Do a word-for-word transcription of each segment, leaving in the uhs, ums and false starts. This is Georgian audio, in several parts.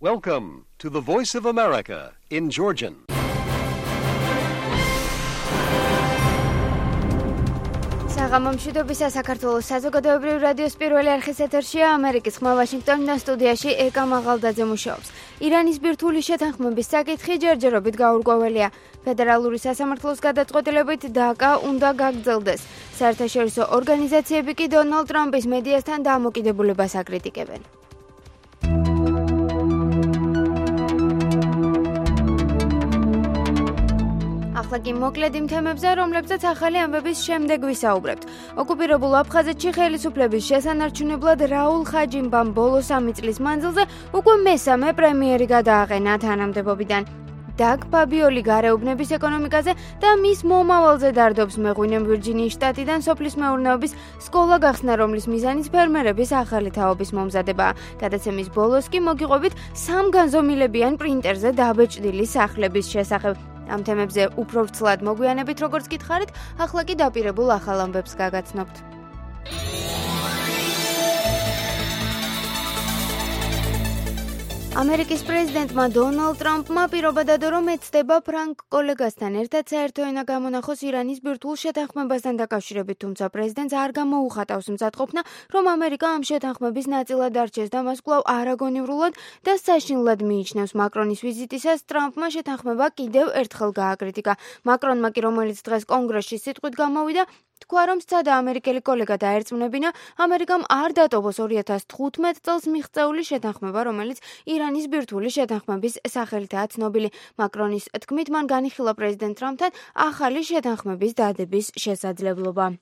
Welcome to the Voice of America in Georgian. საღამომშვიდობისა საქართველოს საზოგადოებრივ რადიოს პირველი არხის ეთერშია ამერიკის ხმა ვაშინგტონიდან სტუდიაში ეკა მაღალდაძე მუშაობს. ირანის ბირთვული შეთანხმების საკითხი ჯერჯერობით გაურკვეველია. ფედერალური სასამართლოს გადაწყვეტილებით დაკა უნდა გაგრძელდეს. საერთაშორისო ორგანიზაციები კი დონალდ ტრამპის მედიასთან დამოკიდებულებას აკრიტიკებენ. ახლა კი მოკლედ იმ თემებზე, რომლებზეც ახალი ამბების შემდეგ ვისაუბრებთ. ოკუპირებულ აფხაზეთში ხელისუფლების შესანარჩუნებლად რაულ ხაჯიმბამ ბოლო სამი წლის მანძილზე უკვე მესამე პრემიერი გადააყენა თანამდებობიდან. დაგ ფაბიოლი გარეუბნების ეკონომიკაზე და მის მომავალზე დარდობს მეღვინემ ვირჯინიის შტატიდან სოფლის მეურნეობის სკოლა გახსნა, რომლის მიზანიც ფერმერების ახალი თაობის მომზადებაა. გადაცემის ბოლოს კი მოგიყვებით სამ განზომილებიან პრინტერზე დაბეჭდილი სახლების შესახებ. ამ თემებზე უფრო ვრცლად მოგვიანებით, როგორც გითხარით, ახლა კი დაპირებულ ახალ ამბებს გაგაცნობთ. ამერიკის პრეზიდენტმა დონალდ ტრამპმა პირობა დადო, რომ ეცდება ფრანგ კოლეგასთან ერთად საერთო ენა გამონახოს ირანის ბირთვულ შეთანხმებასთან დაკავშირებით, თუმცა პრეზიდენტს არ გამოუხატავს მზადყოფნა, რომ ამერიკა ამ შეთანხმების ნაწილად არჩეს და მას კვლავ არაგონივრულად და საშინლად მიიჩნევს. მაკრონის ვიზიტისას ტრამპმა შეთანხმება კიდევ ერთხელ გააკრიტიკა. მაკრონმა კი, რომელიც დღეს კონგრესში სიტყვით გამოვიდა, თქვა, რომ სცადა ამერიკელი კოლეგა დაერწმუნებინა, ამერიკამ არ დატოვოს ორი ათას თხუთმეტ წელს მიღწეული შეთანხმება, რომელიც ირანის ბირთვული შეთანხმების სახელითაა ცნობილი. მაკრონის თქმით, მან განიხილა პრეზიდენტ ტრამპთან ახალი შეთანხმების დადების შესაძლებლობა.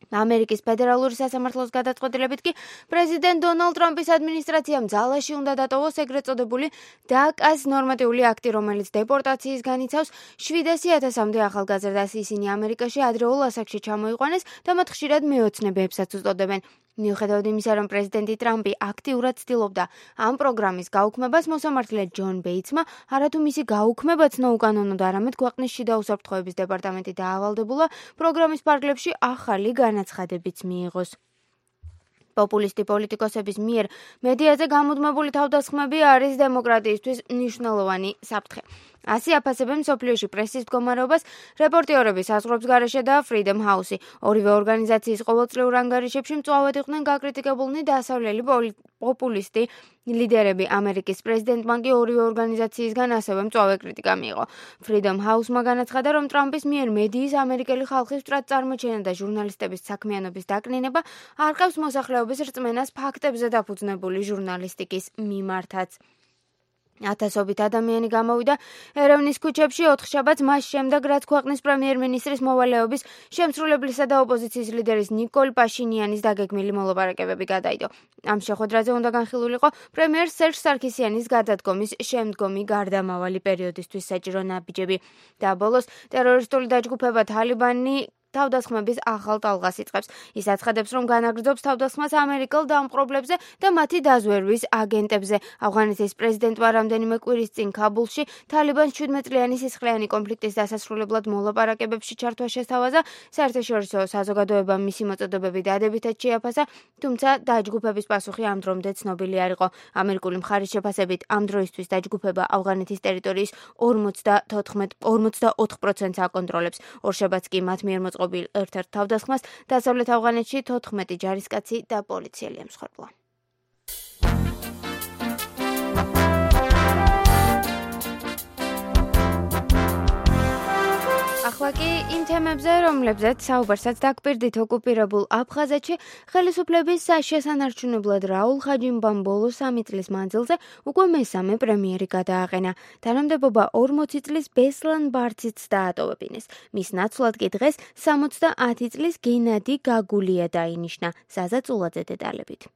ამერიკის ფედერალური სასამართლოს გადაწყვეტილებით კი პრეზიდენტ დონალდ ტრამპის ადმინისტრაციამ ძალაში უნდა დატოვოს ეგრეთ წოდებული დაკას ნორმატიული აქტი, რომელიც დეპორტაციის განიცავს შვიდასი ათასამდე ახალგაზრდას. ისინი ამერიკაში ადრეულ ასაკში ჩამოიყვანეს და მათ ხშირად მეოცნებებსაც უწოდებენ. მიუხედავად იმისა, რომ პრეზიდენტი ტრამპი აქტიურად ცდილობდა ამ პროგრამის გაუქმებას, მოსამართლე ჯონ ბეიცმა არათუ მისი გაუქმებაც ნოუკანონოდ, არამედ ქვეყნის შიდა უსაფრთხოების დეპარტამენტი დაავალდებულა პროგრამის ფარგლებში ახალი განაცხადებიც მიიღოს. პოპულისტი პოლიტიკოსების მიერ მედიაზე გამუდმებული თავდასხმები არის დემოკრატიისთვის მნიშვნელოვანი საფრთხე. ასი აფასებენ მსოფლიოში პრესის მდგომარეობას რეპორტიორების საზღვრებს გარეშე და Freedom House-ი. ორივე ორგანიზაციის ყოველწლიურ ანგარიშებში მწვავედ იყვნენ გაკრიტიკებულნი დასავლელი პოპულისტი ლიდერები. ამერიკის პრეზიდენტმა კი ორივე ორგანიზაციისგან ასევე მწვავე კრიტიკა მიიღო. Freedom House-მა განაცხადა, რომ ტრამპის მიერ მედიის ამერიკელი ხალხის სწრაფ წარმოჩენა და ჟურნალისტების საქმიანობის დაკნინება არ ყავს მოსახლეობის რწმენას ფაქტებზე დაფუძნებული ჟურნალისტიკის მიმართაც. ათასობით ადამიანი გამოვიდა ერევნის ქუჩებში ოთხშაბათს, მას შემდეგ, რაც ქვეყნის პრემიერ-მინისტრის მოვალეობის შემსრულებლისა და ოპოზიციის ლიდერის ნიკოლ პაშინიანის დაგეგმილი მოლაპარაკებები გადაიდო. ამ შეხვედრაზე უნდა განხილულიყო პრემიერ სერჟ სარქისიანის გადადგომის შემდგომი გარდამავალი პერიოდისთვის საჭირო ნაბიჯები. და ბოლოს ტერორისტული დაჯგუფება თალიბანი თავდასხმების ახალ ტალღას იწყებს. ის აცხადებს, რომ განაგრძობს თავდასხმას ამერიკელ დამპყრობლებზე და მათი დაზვერვის აგენტებზე. ავღანეთის პრეზიდენტმა რამდენიმე კვირის წინ ქაბულში თალიბანს შვიდმეტწლიანი სისხლიანი კონფლიქტის დასასრულებლად მოლაპარაკებებში ჩართვა შესთავაზა. საერთაშორისო საზოგადოებამ მისი მოწოდებები დადებითად შეაფასა, თუმცა დაჯგუფების პასუხი ამ დრომდე ცნობილი არ იყო. ამერიკული მხარის შეფასებით ამ დროისთვის დაჯგუფება ავღანეთის ტერიტორიის ორმოცდაოთხ პროცენტს აკონტროლებს. ორშაბათს კი მათ მიერ მოწყობილ ერთ-ერთ თავდასხმას დასავლეთ ავღანეთში თოთხმეტი ჯარისკაცი და პოლიციელი ემსხვერპლა. ახლა კი იმ თემებზე, რომლებზეც საუბარსაც დაგპირდით, ოკუპირებულ აფხაზეთში ხელისუფლების შესანარჩუნებლად რაულ ხაჯიმბამ ბოლო სამი წლის მანძილზე უკვე მესამე პრემიერი გადააყენა. თანამდებობა ორმოცი წლის ბესლან ბარციც დაატოვებინეს. მის ნაცვლად კი დღეს სამოცდაათი წლის გენადი გაგულია დაინიშნა. ზაზა წულაძე დეტალებით.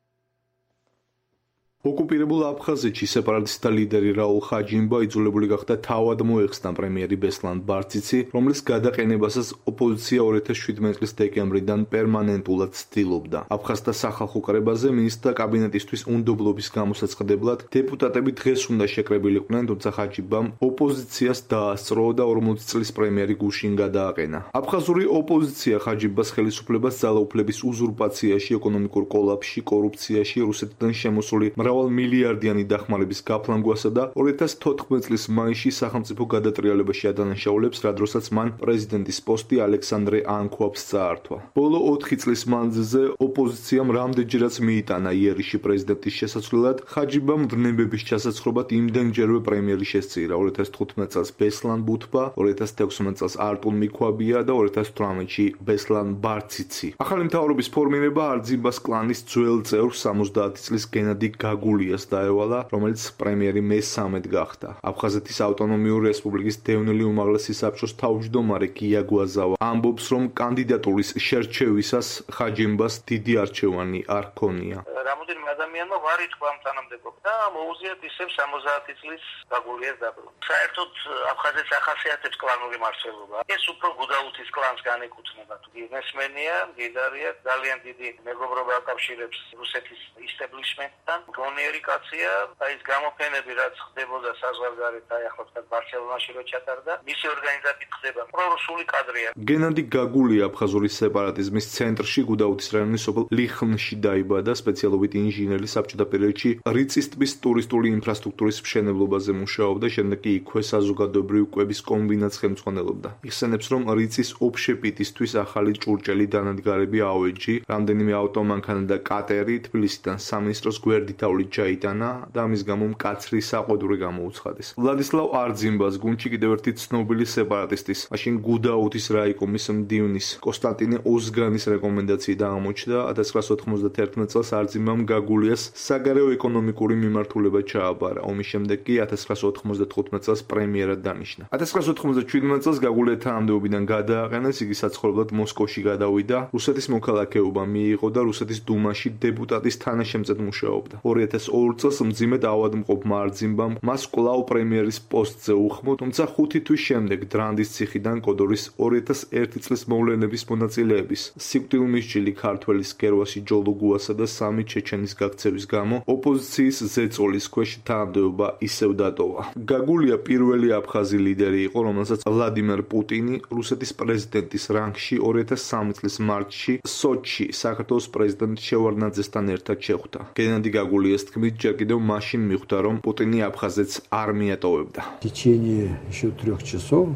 ოკუპირებულ აფხაზეთში სეპარატისტთა ლიდერი რაულ ხაჯიმბა იძულებული გახდა თავად მოეხსნა პრემიერი ბესლან ბარციცი, რომლის გადაყენებასაც ოპოზიცია ორი ათას შვიდმეტი წლის დეკემბრიდან პერმანენტულად ცდილობდა. აფხაზთა სახალხო კრებაზე მინისტრთა კაბინეტისთვის უნდობლობის გამოსაცხადებლად დეპუტატები დღეს უნდა შეკრებილიყვნენ, თუმცა ხაჯიმბამ ოპოზიციას დაასწრო და ორმოცი წლის პრემიერი გუშინ გადააყენა. აფხაზური ოპოზიცია ხაჯიმბას ხელისუფლებას ძალაუფლების უზურპაციაში, ეკონომიკურ კოლაფსში, კორუფციაში, რუსეთიდან შემოსული მრავალ მილიარდიანი დახმარების გაფლანგვასა და ორი ათას თოთხმეტი წლის მაისში სახელმწიფო გადატრიალებაში ადანაშაულებს, რა დროსაც მან პრეზიდენტის პოსტი ალექსანდრე ანქვაბს წაართვა. ბოლო ოთხი წლის მანძილზე ოპოზიციამ რამდენჯერაც მიიტანა იერიში პრეზიდენტის შესაცვლელად, ხაჯიბამ ვნებების ჩასაცხრობად იმდენჯერვე პრემიერი შესწირა. ორი ათას თხუთმეტ წელს ბესლან ბუთბა, ორი ათას თექვსმეტ წელს არტურ მიქვაბია და ორი ათას თვრამეტში ბესლან ბარციცი. ახალი მთავრობის ფორმირება არძიმბას კლანის ძველ წევრ სამოცდაათი წლის გენადი გაგულიას დაევალა, რომელიც პრემიერი მესამედ გახდა. აფხაზეთის ავტონომიური რესპუბლიკის დევნილი უმაღლესი საბჭოს თავმჯდომარე გია გვაზავა ამბობს, რომ კანდიდატურის შერჩევისას ხაჯიმბას დიდი არჩევანი არ ჰქონია. რამოდენიმე ადამიანმა ვარ ითქვა ამ თანამდებობა და მოუზიათ ისევ სამოცდაათი წლის გაგულიას დაბრუნება. საერთოდ აფხაზეთს ახასიათებს კლანური მარცვლობა. ეს უფრო გუდაუთის კლანს განეკუთვნება. ბიზნესმენია, მდიდარია, ძალიან დიდი მეგობრობა აკავშირებს რუსეთის ისტებლიშმენტთან. გონიერი კაცია, აი ეს გამოფენები რაც ხდებოდა საზღვარგარეთ, აი ახლა თქვა ბარსელონაში რო ჩატარდა, მისი ორგანიზებით ხდება. პრორუსული კადრია. გენადი გაგულია აფხაზური სეპარატიზმის ცენტრში გუდაუთის რაიონის სოფელ ლიხნში დაიბადა, სპეციალობით ინჟინერი, საბჭოთა პერიოდში რიწის ტბის ტურისტული ინფრასტრუქტურის მშენებლობაზე მუშაობდა, შემდეგ კი იქვე საზოგადოებრივი კვების კომბინატს ხელმძღვანელობდა. იხსენებს, რომ რიწის ოფშეპიტისთვის ახალი ჭურჭელი დანადგარები ავეჯი, რამდენიმე ავტომანქანა და კატერი თბილისიდან სამინისტროს გვერდითავლით ჩაიტანა და ამის გამო მკაცრი საყვედური გამოუცხადეს. ვლადისლავ არძიმბას გუნდში კიდევ ერთი ცნობილი სეპარატისტის, მაშინ გუდაუთის რაიკომის მდივნის კონსტანტინე ოზგანის რეკომენდაციით აღმოჩნდა. ათას ცხრაასი ოთხმოცდათერთმეტ წელს არძიმბამ გაგულიას საგარეო ეკონომიკური მიმართულება ჩააბარა. ომის შემდეგ კი ათას ცხრაასი ოთხმოცდათხუთმეტ წელს პრემიერად დანიშნა. ათას ცხრაასი ოთხმოცდაჩვიდმეტ წელს გაგულია თანამდებობიდან გადააყენეს, იგი საცხოვრებლად მოსკოვში გადავიდა, რუსეთის მოქალაქეობა მიიღო და რუსეთის დუმაში დეპუტატის თანაშემწედ მუშაობდა. ორი ათას ორ წელს მძიმედ ავადმყოფმა არძიმბამ მას კვლავ პრემიერის პოსტზე უხმო, თუმცა ხუთი თვის შემდეგ დრანდის ციხიდან კოდორის ორი ათას ერთი წლის მოვლენების მონაწილეების, სიკვდილმისჯილი ქართველის გერვასი ჯოლუგუასა და სამი ჩეჩენის გაქცევის გამო ოპოზიციის ზეწოლის ქვეშ თანამდებობა ისევ დატოვა. გაგულია პირველი აფხაზი ლიდერი იყო, რომელსაც ვლადიმერ პუტინი რუსეთის პრეზიდენტის რანგში ორი ათას სამი წლის მარტში სოჩში საქართველოს პრეზიდენტ შევარდნაძესთან ერთად შეხვდა. გენადი გაგულიას თქმით, ჯერ კიდევ მაშინ მიხვდა, რომ პუტინი აფხაზეთს არ მიატოვებდა. В течение еще трех часов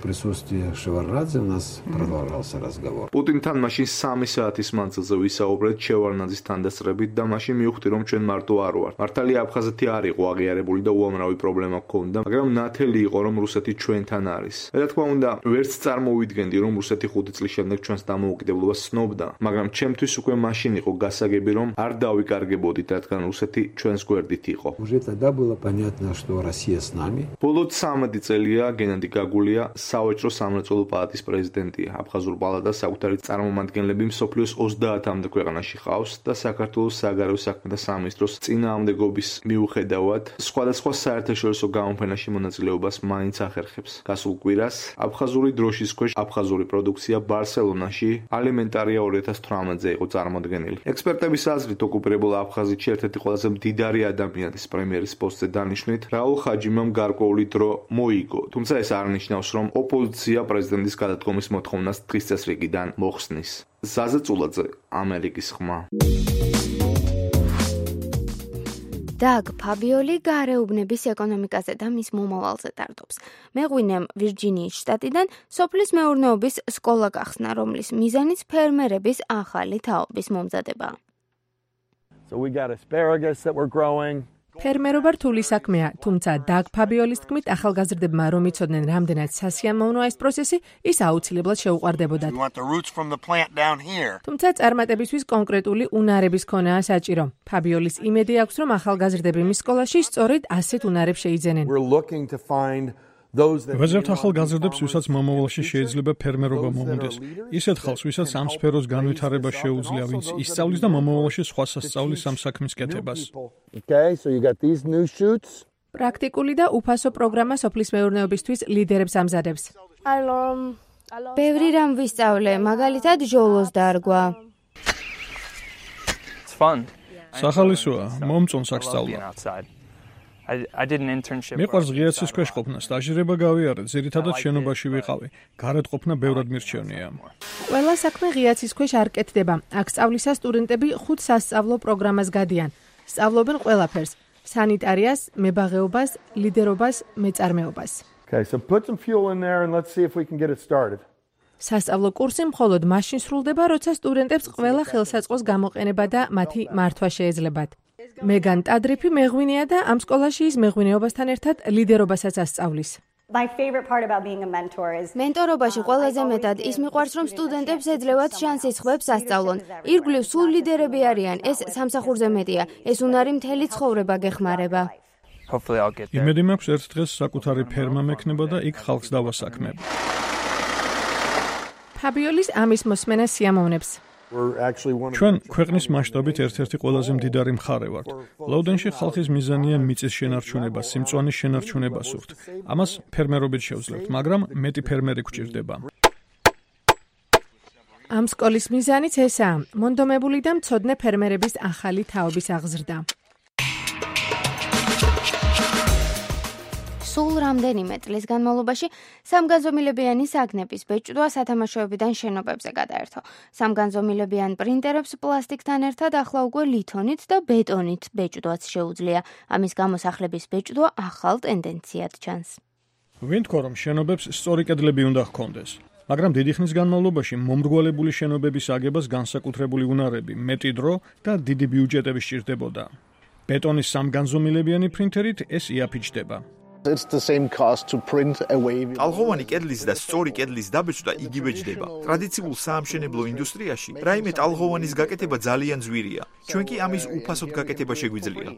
присутствия Шеварднадзе у нас продолжался разговор. პუტინთან მაშინ სამი საათის მანძილზე ვისაუბრეთ შევარდნაძის თანდასწრებით და მაშინ მივხვდი, რომ ჩვენ მარტო არ ვართ. მართალია აფხაზეთი არ იყო აღიარებული და უამრავი პრობლემა ჰქონდა, მაგრამ ნათელი იყო, რომ რუსეთი ჩვენთან არის. რა თქმა უნდა, ვერც წარმოვიდგენდი, რომ რუსეთი ხუთი წლის შემდეგ ჩვენს დამოუკიდებლობას ცნობდა, მაგრამ ჩემთვის უკვე მაშინ იყო გასაგები, რომ არ დავიკარგებოდით, რადგან რუსეთი ჩვენს გვერდით იყო. Уже тогда было понятно, что Россия с нами. ბოლო ცამეტი წელია გენადი გაგულია სავაჭრო სამრეწველო პალატის პრეზიდენტია. აფხაზურ პალატას საკუთარი წარმომადგენლები მსოფლიოს ოცდაათამდე ქვეყანაში ყავს და საქართველოს საგარეო საქმეთა სამინისტროს წინააღმდეგობის მიუხედავად სხვადასხვა საერთაშორისო გამოფენაში მონაწილეობას მაინც ახერხებს. გასულ კვირას აფხაზური დროშის ქვეშ აფხაზური პროდუქცია ბარსელონაში ალიმენტარია ორი ათას თვრამეტზე იყო წარმოდგენილი. ექსპერტების აზრით, ოკუპირებულ აფხაზეთში ერთ-ერთი ყველაზე მდიდარი ადამიანის პრემიერის პოსტზე დანიშვნით რაულ ხაჯიმამ გარკვეული დრო მოიგო, თუმცა ეს არ ნიშნავს, რომ ოპოზიცია პრეზიდენტის გადადგომის მოთხოვნას დღის წესრიგიდან მოხსნის. ზაზა წულაძე, ამერიკის ხმა. დაგ ფაბიოლი გარეუბნების ეკონომიკაზე და მის მომავალზე ტარდობს. მეღვინემ ვირჯინიის შტატიდან სოფლის მეურნეობის სკოლა გახსნა, რომლის მიზანიც ფერმერების ახალი თაობის მომზადება. So we got asparagus that we're growing. ფერმერობა რთული საქმეა, თუმცა დაგ ფაბიოლის თქმით, ახალგაზრდებმა რომ იცოდნენ რამდენად სასიამოვნოა ეს პროცესი, ის აუცილებლად შეუყვარდებოდათ. თუმცა წარმატებისთვის კონკრეტული უნარების ქონაა საჭირო. ფაბიოლის იმედი აქვს, რომ ახალგაზრდები მის სკოლაში სწორედ ასეთ უნარებს შეიძენენ. ვეზერთ ახალგაზრდებს, ვისაც მომავალში შეიძლება ფერმერობა მომუნდეს. ისეთ ხალხს, ვისაც ამ სფეროს განვითარება შეუძლია, ვინც ისწავლის და მომავალში სხვა სასწავლის ამ საქმის კეთებას. პრაქტიკული და უფასო პროგრამა სოფლის მეურნეობისთვის ლიდერებს ამზადებს. ბევრი რამ ვისწავლე, მაგალითად ჟოლოს დარგვა. სახალისოა, მომწონს აქ სწავლა. მიყვარს ღია ცის ქვეშ ყოფნა, სტაჟირება გავიარე, ძირითადად შენობაში ვიყავი. გარეთ ყოფნა ბევრად მირჩევნია. ყველა საქმე ღია ცის ქვეშ არ კეთდება. აქ სწავლისას სტუდენტები ხუთ სასწავლო პროგრამას გადიან. სწავლობენ ყველაფერს: სანიტარიას, მებაღეობას, ლიდერობას, მეწარმეობას. Okay, so put some fuel in there and let's see if we can get it started. სასწავლო კურსი მხოლოდ მაშინ სრულდება, როცა სტუდენტებს ყველა ხელსაწყოს გამოყენება და მათი მართვა შეეძლებათ. მეგან ტადრიფი მეღვინეა და ამ სკოლაში ის მეღვინეობასთან ერთად ლიდერობასაც ასწავლის. My favorite part about being a mentor is მენტორობაში ყველაზე მეტად ის მიყვარს, რომ სტუდენტებს ეძლევათ შანსი სხვებს ასწავლონ. ირგვლივ სულ ლიდერები არიან, ეს სამსახურზე მეტია. ეს უნარი მთელი ცხოვრება გეხმარება. Hopefully I'll get there. იმედი მაქვს ერთ დღეს საკუთარი ფერმა მექნება და იქ ხალხს დავასაქმებ. ფაბიოლის ამის მოსმენა სიამოვნებს. ჩვენ ქვეყნის მასშტაბით ერთ-ერთი ყველაზე მდიდარი მხარე ვართ. ლოუდენში ხალხის მიზანია მიწის შენარჩუნება, სიმწვანის შენარჩუნება სურთ. ამას ფერმერობით შევძლებთ, მაგრამ მეტი ფერმერი გვჭირდება. ამ სკოლის მიზანიც ესაა: მონდომებული და მცოდნე ფერმერების ახალი თაობის აღზრდა. სულ რამდენიმე წლის განმავლობაში სამგანზომილებიანი საგნების ბეჭდვა სათამაშოებიდან შენობებზე გადაერთო. სამგანზომილებიან პრინტერებს პლასტიკთან ერთად ახლა უკვე ლითონით და ბეტონით ბეჭდვაც შეუძლია. ამის გამო სახლების ბეჭდვა ახალ ტენდენციად ჩანს. ვინ თქვა, რომ შენობებს სწორი კედლები უნდა ჰქონდეს? მაგრამ დიდი ხნის განმავლობაში მომრგვალებული შენობების აგებას განსაკუთრებული უნარები, მეტი დრო და დიდი ბიუჯეტები სჭირდებოდა. ბეტონის სამგანზომილებიანი პრინტერით ეს იაფიჩდება. ტალღოვანი კედლის და სწორი კედლის დაბეჭდა იგივე ჯდება. ტრადიციულ საამშენებლო ინდუსტრიაში რაიმე ტალღოვანის გაკეთება ძალიან ძვირია. ჩვენ კი ამის უფასოდ გაკეთება შეგვიძლია.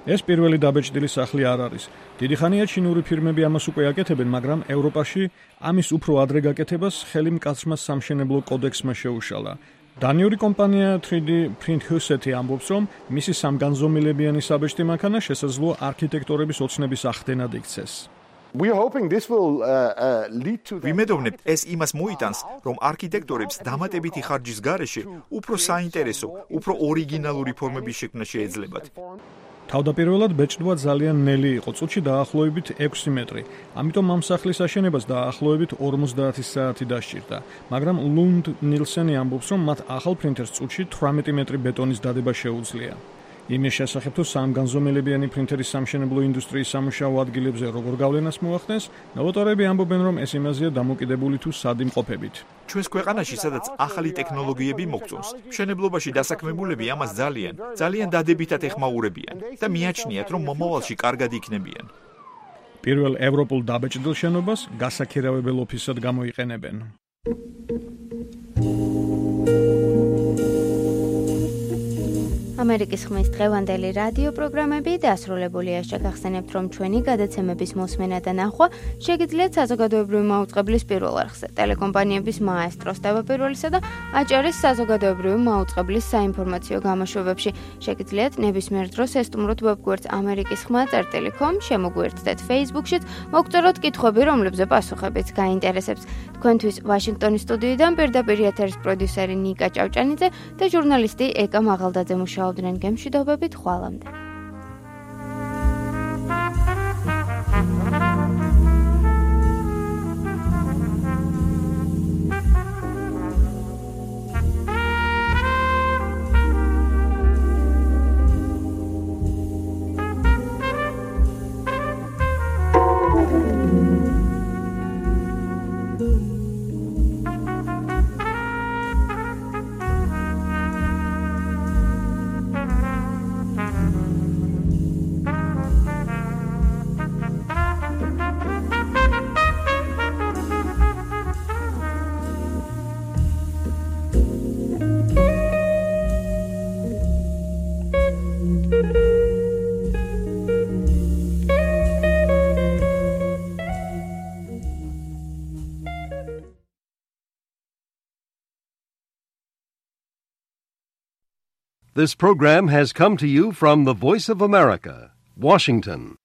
ეს პირველი დაბეჭდილი სახლი არ არის. დიდი ხანია ჩინური ფირმები ამას უკვე აკეთებენ, მაგრამ ევროპაში ამის უფრო ადრე გაკეთებას ხელი მკაცრმა სამშენებლო კოდექსმა შეუშალა. დანიური კომპანია თრი დი Print Huset ამბობს, რომ მისი სამგანზომილებიანი საბეჭდი მანქანა შესაძლოა არქიტექტორების ოცნების ახდენად იქცეს. ვიმედოვნებთ, ეს იმას მოიტანს, რომ არქიტექტორებს დამატებითი ხარჯის გარეშე უფრო საინტერესო, უფრო ორიგინალური ფორმების შექმნა შეეძლებათ. თავდაპირველად ბეჭდვა ძალიან ნელი იყო, წუთში დაახლოებით ექვსი მეტრი. ამიტომ ამ სახლის აშენებას დაახლოებით ორმოცდაათი საათი დასჭირდა. მაგრამ ლუნდ ნილსენი ამბობს, რომ მათ ახალ პრინტერს წუთში თვრამეტი მეტრი ბეტონის დადება შეუძლია. იმის შესახებ, თუ სამგანზომილებიანი პრინტერის სამშენებლო ინდუსტრიის სამუშაო ადგილებზე როგორ გავლენას მოახდენს, ნოვატორები ამბობენ, რომ ეს იმაზეა დამოკიდებული თუ სად იმყოფებით. ჩვენს ქვეყანაში, სადაც ახალი ტექნოლოგიები მოგწონს, მშენებლობაში დასაქმებულები ამას ძალიან, ძალიან დადებითად ეხმაურებიან და მიაჩნიათ, რომ მომავალში კარგად იქნებიან. პირველ ევროპულ დაბეჭდილ შენობას გასაქირავებელ ოფისად გამოიყენებენ. ამერიკის ხმის დღევანდელი რადიო პროგრამები დასრულებულია. შეგახსენებთ, რომ ჩვენი გადაცემების მოსმენა და ნახვა შეგიძლიათ საზოგადოებრივი მაუწყებლის პირველ არხზე, ტელეკომპანიების მაესტროს თავდაპირველისა და აჭარის საზოგადოებრივი მაუწყებლის საინფორმაციო გამოშვებებში. შეგიძლიათ ნებისმიერ დროს ესტუმროთ ვებგვერდს ამერიკის ხმა წერტილი com, შემოგვიერთდეთ Facebook-შიც, მოგწეროთ კითხვები, რომლებზე პასუხებიც გაინტერესებს. თქვენთვის ვაშინგტონის სტუდიიდან პირდაპირ ეთერის პროდიუსერი ნიკა ჭავჭანიძე და ჟურნალისტი ეკა მაღალდაძე მუშაობდნენ გემშვიდობებით ხვალამდე. This program has come to you from the Voice of America, Washington.